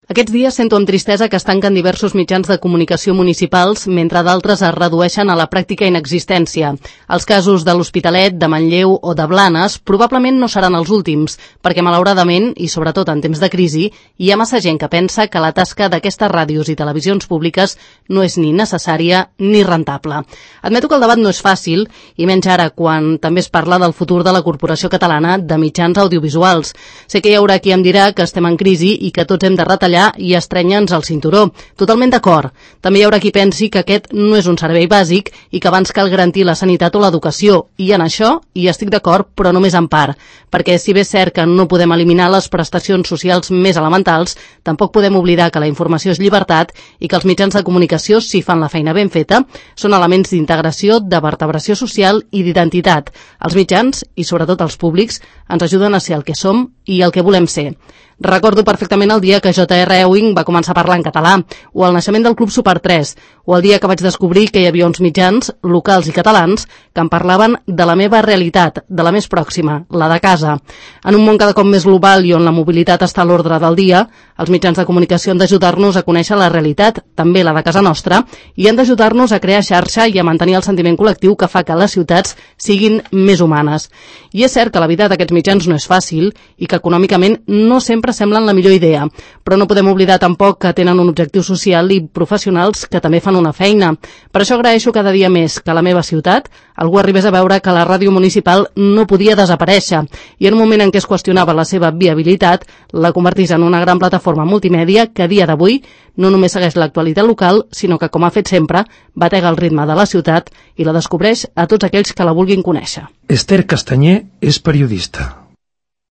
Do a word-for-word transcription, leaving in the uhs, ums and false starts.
Aquests dies sento amb tristesa que es tanquen diversos mitjans de comunicació municipals, mentre d'altres es redueixen a la pràctica inexistència. Els casos de l'Hospitalet, de Manlleu o de Blanes probablement no seran els últims, perquè malauradament, i sobretot en temps de crisi, hi ha massa gent que pensa que la tasca d'aquestes ràdios i televisions públiques no és ni necessària ni rentable. Admeto que el debat no és fàcil, i menys ara quan també es parla del futur de la Corporació Catalana de Mitjans Audiovisuals. Sé que hi haurà qui em dirà que estem en crisi i que tots hem de retallar i estrenya'ns el cinturó. Totalment d'acord. També hi haurà qui pensi que aquest no és un servei bàsic i que abans cal garantir la sanitat o l'educació. I en això hi estic d'acord, però només en part. Perquè si bé és cert que no podem eliminar les prestacions socials més elementals, tampoc podem oblidar que la informació és llibertat i que els mitjans de comunicació, si fan la feina ben feta, són elements d'integració, de vertebració social i d'identitat. Els mitjans, i sobretot els públics, ens ajuden a ser el que som i el que volem ser. Recordo perfectament el dia que J R Ewing va començar a parlar en català, o el naixement del Club Super tres, o el dia que vaig descobrir que hi havia uns mitjans, locals i catalans, que em parlaven de la meva realitat, de la més pròxima, la de casa. En un món cada cop més global i on la mobilitat està a l'ordre del dia, els mitjans de comunicació han d'ajudar-nos a conèixer la realitat, també la de casa nostra, i han d'ajudar-nos a crear xarxa i a mantenir el sentiment col·lectiu que fa que les ciutats siguin més humanes. I és cert que la vida d'aquests mitjans no és fàcil i que econòmicament no sempre semblen la millor idea, però no podem oblidar tampoc que tenen un objectiu social i professionals que també fan una feina. Per això agraeixo cada dia més que a la meva ciutat algú arribés a veure que la ràdio municipal no podia desaparèixer i en un moment en què es qüestionava la seva viabilitat, la convertís en una gran plataforma multimèdia que a dia d'avui no només segueix l'actualitat local, sinó que, com ha fet sempre, batega el ritme de la ciutat i la descobreix a tots aquells que la vulguin conèixer. Esther Castanyer és periodista.